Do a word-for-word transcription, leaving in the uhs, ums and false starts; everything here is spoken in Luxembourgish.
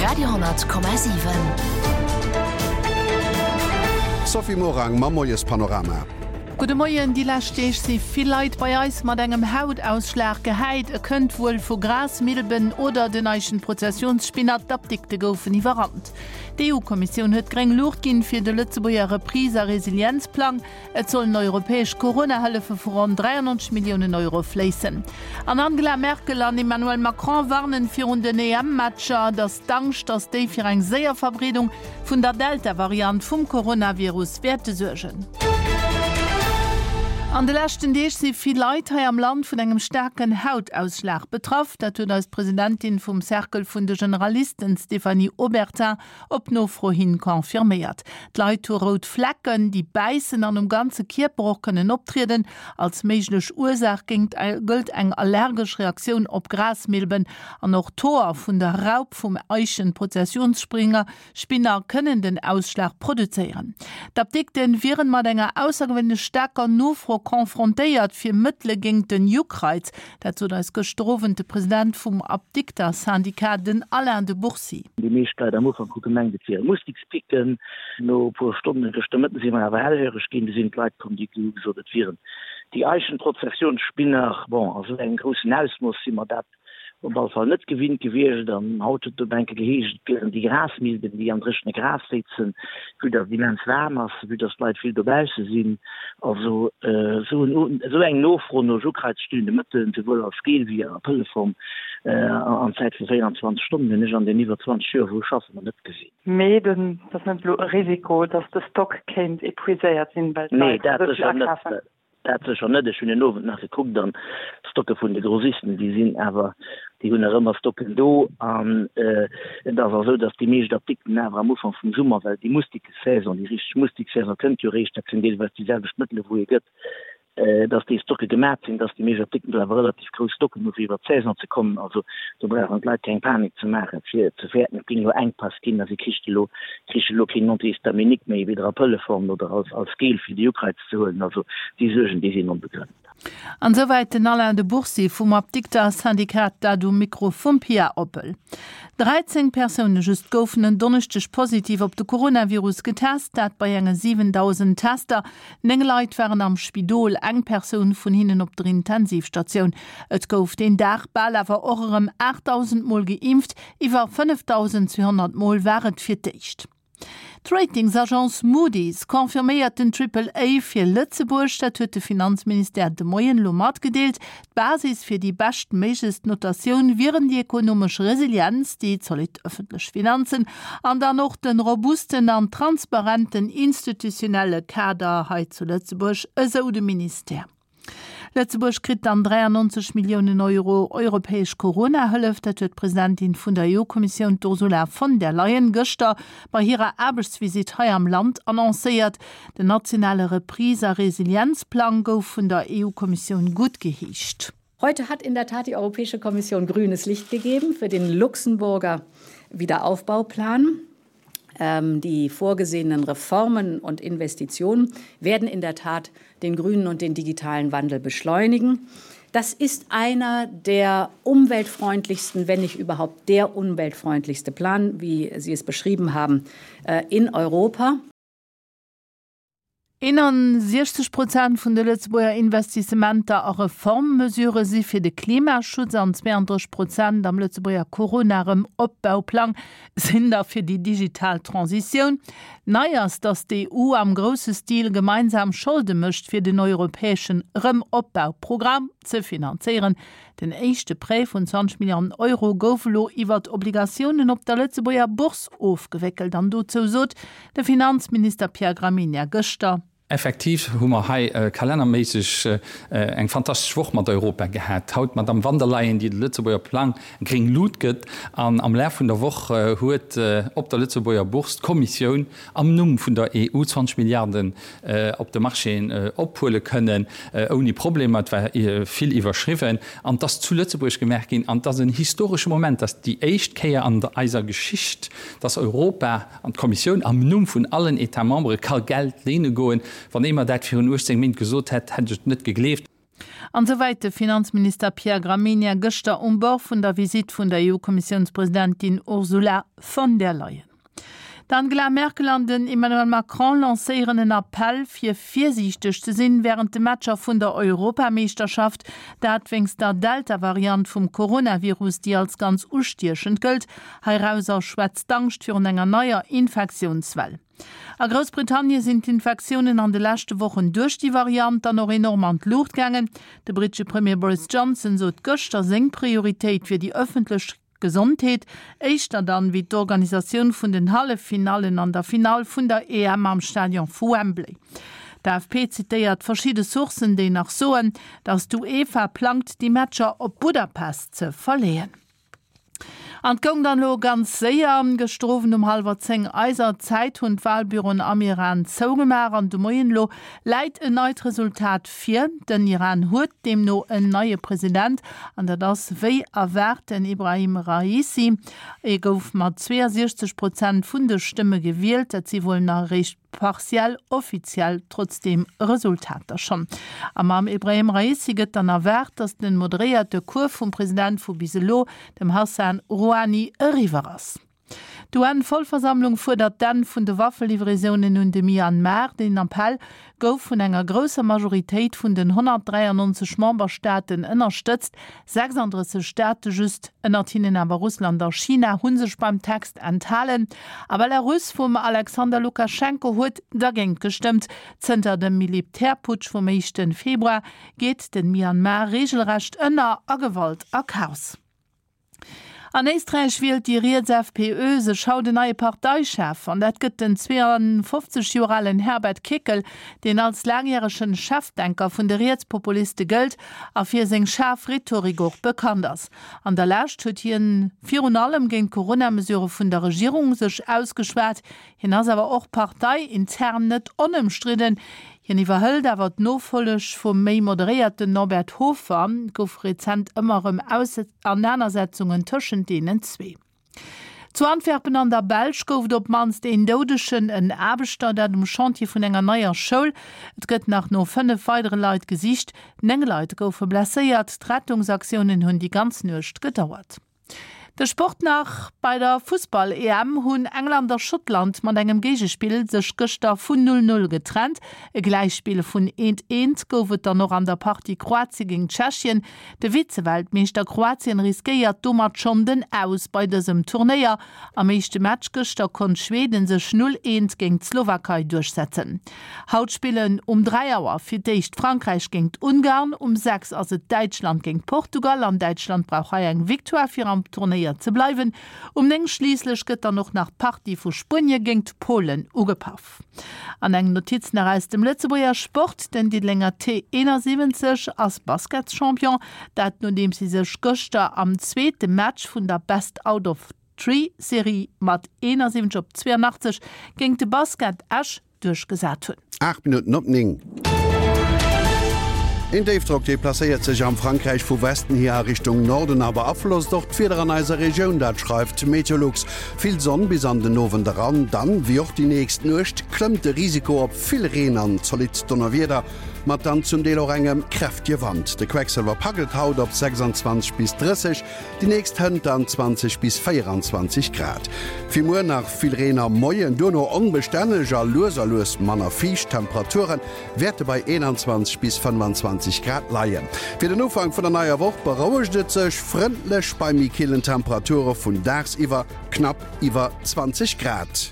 Radio honnert Komma siwen. Sophie Morang mam Moiespanorama. Gudde Moien, Déi lescht Deeg si vill Leit bei eis mat engem Hautausschlag gehäit. E kënnt wuel vu Grasmilben oder den Eichenprozessionsspinner. D'Apdikte goufen iwwerrannt. D'EU-Kommissioun huet gréng Luucht ginn fir de Lëtzebuerger Reprise a Resilienzplang. Et sollen europäesch Corona-Hëllefe vu ronn dräiannonzeg Milliounen Euro fléissen. An Angela Merkel an Emmanuel Macron warnen virun den E M-Matcher, datt d'Angscht, datt déi fir eng séier Verbreedung vun der Delta-Variant vum Coronavirus wäerte suergen. An de leschten Deeg si vill Leit hei am Land vun engem staarken Hautausschlag betraff. Dat huet eis d'Presidentin vum Cercle vun de Generalisten, Stéphanie Obertin, op Nofro hin confirméiert. D'Leit hu rout Flecken, déi bäissen an um ganze Kierper och kënnen optrieden. Als méiglech Ursaach géingt gëllt eng allergesch Reaktioun op Grasmilben an och d'Hoer vun der Raup vum Eichenprozessionsspringer Spinner kënnen den Ausschlag produzéieren. D'Apdikte wieren mat enger aussergewéinlech staarker Nofro confrontéiert fir Mëttele géingt den Juckreiz. Dat sot eis gëschter Owend de President vum Apdikter-Syndicat, den Alain de Bourcy. Déi meescht Leit am Ufank hu gemengt, et wiere Mustikspicken. No e puer Stonnen, gëschter Mëtten, si mer awer hellhöreg ginn. Du sinn d'Leit komm, déi hu gesot, et wieren déi Eichenprozessionsspinner. Bon, a sou engem groussen Ausmooss si mer dat op alle Fall net gewinnt gewiescht. An haut huet et op enke geheescht, et wieren déi Grasmilben, déi am dréchene Gras séizen, vue dass et immens waarm ass, vue dass d'Leit vill dobausse sinn. Also esou en, esou eng Nofro no juckreizstillende Mëttelen, souwuel als Gel wéi a Pëlleform, an Zäit vu véieranzwanzeg Stonnen, hunn ech an den iwwer zwanzeg Joer, wou ech schaffen, nach net gesinn. Mee dat ass net elo e Risiko, dass de Stock kéint epuiséiert sinn, well Nee, d'Leit dat esou vill sécher net. akafen? Dat sécher net. Ech hunn den Owend nach gekuckt an d'Stocke vun de Grossisten, déi sinn awer, déi hunn nach ëmmer Stocken do. An et ass och esou, datt déi meescht Apdikten awer am Ufank vum Summer, well déi Mustikesaison, déi richteg Mustiksaison kënnt jo eréischt, dat sinn deelweis déi selwecht Mëttele wou ee gëtt, datt déi Stocke gemat sinn, datt déi meescht Apdikten do awer relativ grouss Stocken hu fir iwwer d'Saison ze kommen. Also do brauchen d'Leit keng Panik ze maachen, fir ze fäerten, et géing elo Enkpass ginn a si kricht elo, kriche elo keen Antihistaminique méi, weder a Pëlleform oder als als Gel fir de Juckreiz ze huelen. Also déi Suergen, déi sinn onbegrënnt. An esouwäit den Alain de Bourcy vum Apdikter-Syndikat, dat um Mikro vum Pia Oppel. dräizéng Persoune just goufen en Donneschdeg positiv op de Coronavirus getest, dat bei enge siwendausend Tester. Néng Leit waren am Spidol, eng Persoun vun hinnen op der Intensivstatioun. Et gouf deen Dag bal awer och erëm aachtdausend Mol geimpft, iwwer fënnefdausendzweehonnert Mol war et fir d'éischt. D'Ratingsagence Moody's confirméiert den Triple A fir Lëtzebuerg. Dat huet de Finanzministère de Moien elo matgedeelt. D'Basis fir déi beschtméiglechst Notatioun wieren déi ekonomesch Resilienz, déi zolidd ëffentlech Finanzen an dann och de robusten an transparenten institutionelle Kader hei zu Lëtzebuerg, esou de Ministère. Lëtzebuerg kritt dann dräiannonzeg Milliounen Euro europäesch Corona-Hëllef. Dat huet d'Presidentin vun der E U-Kommissioun, d'Ursula von der Leyen, gëschter bei hirer Aarbechtsvisitt hei am Land annoncéiert. Den nationale Reprise a Resilienzplang gouf vun der E U-Kommissioun guttgeheescht. Heute hat in der Tat die Europäische Kommission grünes Licht gegeben für den Luxemburger Wiederaufbauplan. Ähm, die vorgesehenen Reformen und Investitionen werden in der Tat den grünen und den digitalen Wandel beschleunigen. Das ist einer der umweltfreundlichsten, wenn nicht überhaupt der umweltfreundlichste Plan, wie Sie es beschrieben haben, äh, in Europa. Eenansiechzeg Prozent vun de Lëtzebuerger Investissementer a Reformmesurë si fir de Klimaschutz an zweeandrësseg Prozent am Lëtzebuerger Corona-Rëm-Opbauplang sinn da fir déi digital Transitioun. Nei ass, datt d'E U am grousse Stil gemeinsam Scholde mécht fir den europäesche Rëm-Opbauprogramm ze finanzéieren. Den éischte Prêt vun zwanzeg Milliarden Euro gouf elo iwwert Obligatiounen op der Lëtzebuerger Bourse ofgewéckelt an dozou sot de Finanzminister Pierre Gramegna gëschter. Effektiv hu mer hei kalennerméisseg eng fantastesch Woch mat Europa gehat. Haut d'Madamm van der Leyen, déi de Lëtzebuerger Plang gréng Lut gëtt. An am Laf vun der Woch huet op der Lëtzebuerger Bourse d'Kommissioun am Numm vun der E U zwanzeg Milliarden op de Marchéen ophuele kënnen, ouni Problemer. Et war vill iwwerschriwwen. An et ass zu Lëtzebuerg gemaach ginn. An et ass en historesche Moment, et ass déi éischt Kéier an eiser Geschicht, dass Europa an d'Kommissioun am Numm vun allen États-membere ka Geld léine goen. Wann ee mer dat virun uechtzéng Méint gesot hätt, hätt ech et net gegleeft. An esouwäit de Finanzminister Pierre Gramegna gëschter um Bord vun der Visitt vun der EU-Kommissiounspresidentin Ursula von der Leyen. D'Angela Merkel an den Emmanuel Macron lancéieren en Appell, fir virsiichteg ze sinn wärend de Matcher vun der Europameeschterschaft, dat wéinst der Delta-Variant vum Coronavirus, déi als ganz ustiechend gëllt. Heirauser schwätzt d'Angscht virun enger neier Infektiounswell. A Groussbritannie sinn d'Infektiounen an de leschte Wochen duerch déi Variant dann och enorm an d'Luucht gaangen. De brittesche Premier Boris Johnson sot gëschter, seng Prioritéit wier déi ëffentlech Gesondheet, éischter dann wéi d'Organisatioun vun den Halleffinallen an der Finall vun der EM am Stadion vu Wembley. D'AFP zitéiert verschidde Sourcen, déi nach soen, datt d'UEFA plangt, déi Matcher op Budapest ze verleeën. An et goung dann elo ganz séier. Gëschter Owend um hallwer zéng eiser Zäit hunn d'Walbüroen am Iran zougemaach an de Moien elo läit en neit Resultat vir. Den Iran huet deemno en neie President an dat ass wéi erwaart den Ebrahim Raisi. E gouf mat zweeënsiechzeg Prozent vun de Stëmme gewielt. Dat si wuel nach eréischt partiell offiziell trotzdeem Resultater schonn. A mam Ebrahim Raisi gëtt dann erwaart, datt den moderéierte Cours vum President vu bis elo, dem Hassan Rouhani, eriwwer ass. D'UN-Vollversammlung fuerdert d'Enn vun de Waffelivraisonen un de Myanmar. Den Appell gouf vun enger grousser Majoritéit vun den honnertdräiannonzeg Memberstaaten ënnerstëtzt. sechsanddrësseg Staate just, ënnert hinnen awer Russland a China, hu sech beim Text enthalen. A Belarus vum Alexander Lukaschenko huet dergéint gestëmmt. Zënter dem Militärputsch vum éischte Februar geet de Myanmar reegelrecht ënner a Gewalt a Chaos. An Éisträich wielt déi riets FPÖ sech haut en neie Parteichef an dat gëtt den zweeënfofzeg Joer alen Herbert Kickl, deen als laangjäregen Chefdenker vun de Rietspopuliste gëllt a fir seng schaarf Rhetorik och bekannt ass. An der Lescht huet hien virun allem géint d'Corona-Mesurë vun der Regierung sech ausgeschwat. Hien ass awer och parteiintern net onëmstridden. Hien iwwerhëlt awer d'Nofolleg vum méi moderéierten Norbert Hofer. Et gouf rezent ëmmer erëm Ausenanersetzungen tëschent deenen zwee. Zu Antwerpen an der Belsch gouf et op d'mannst een Doudegen, en Aarbechter, dat um Chantier vun enger neier Schoul. Et gëtt nach no fënnef weidere Leit gesicht. Néng Leit goufe blesséiert. D'Rettungsaktiounen hunn déi ganz Nuecht gedauert. De Sport nach, Bei der Fussball-EM hunn England a Schottland mat engem Géigespill sech gëschter vun null null getrennt. E Gläichspill vun eent eent gouf et dann och an der Partie Kroatien géint Tschechien. De Vize-Weltmeeschter Kroatien riskéiert domat schonn den Aus bei dësem Turnéier. Am éischte Match gëschter konnt Schweden sech null eent géint d'Slowakei duerchsetzen. Haut spillen um dräi Auer fir d'éischt Frankräich géint Ungarn, um sechs ass et Däitschland géint Portugal an Däitschland brauch hei eng Victoire fir am Turnéier ze bleiwen. Um néng schliisslech gëtt dann och nach d'Partie vu Spuenie géint Polen ugepaff. An eng Notiz nach aus dem Lëtzebuerger Sport, Den Diddelenger T eenasiwwenzeg ass Basketschampion, dat nodeems si sech gëschter am zweete Match vun der Best out of Three Serie mat eenasiwwenzeg op zweeënachtzeg géint de Basket Esch duerchgesat hunn. Aacht Minutten op néng. Een Déifdrock deplacéiert sech am Frankräich vu Westen hier a Richtung Norden a beaflosst och d'Wieder an eiser Regioun, dat schreift Meteolux. Vill Sonn bis an den Owend eran, dann, wéi och déi nächst Nuecht, klëmmt de Risiko op vill Reen an zolidd Donnerwieder, mat dann zum Deel och engem kräftege Wand. De Quecksëlwer packelt haut op sechsandzwanzeg bis drësseg, déi nächst hënt dann zwanzeg bis véieranzwanzeg Grad. Fir muer nach vill Reen am Moien, duerno onbestänneg a lues a lues manner fiicht. D'Temperature wäerte bei eenanzwanzeg bis fënnefanzwanzeg Grad leien. Fir den Ufank vun der neier Woch berouegt et sech frëndlech bei méi killen Temperature vun dagsiwwer knapp iwwer zwanzeg Grad.